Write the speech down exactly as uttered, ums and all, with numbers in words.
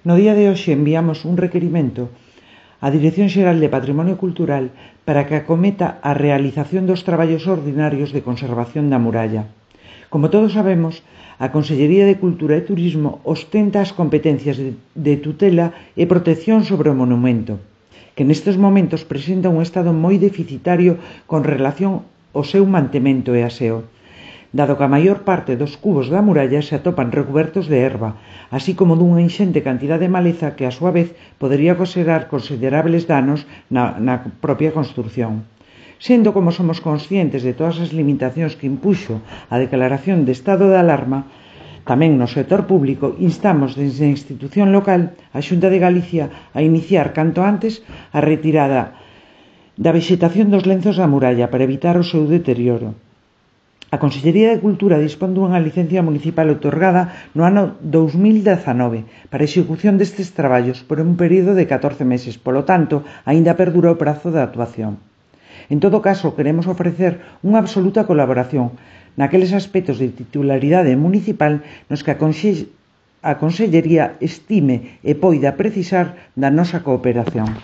No día de hoxe enviamos un requerimento á Dirección Xeral de Patrimonio Cultural para que acometa a realización dos traballos ordinarios de conservación da muralla. Como todos sabemos, a Consellería de Cultura e Turismo ostenta as competencias de tutela e protección sobre o monumento, que nestes momentos presenta un estado moi deficitario con relación ao seu mantemento e aseo, dado que a maior parte dos cubos da muralla se atopan recubertos de herba, así como dunha inxente cantidad de maleza que, a súa vez, podería ocasionar considerables danos na, na propia construción. Sendo como somos conscientes de todas as limitacións que impuxo a declaración de estado de alarma, tamén no sector público instamos desde a institución local a Xunta de Galicia a iniciar canto antes a retirada da vexetación dos lenzos da muralla para evitar o seu deterioro. A Consellería de Cultura dispón dunha licencia municipal outorgada no ano dous mil dezanove para a execución destes traballos por un período de catorce meses, polo tanto, aínda perdura o prazo de actuación. En todo caso, queremos ofrecer unha absoluta colaboración naqueles aspectos de titularidade municipal nos que a, Conse- a Consellería estime e poida precisar da nosa cooperación.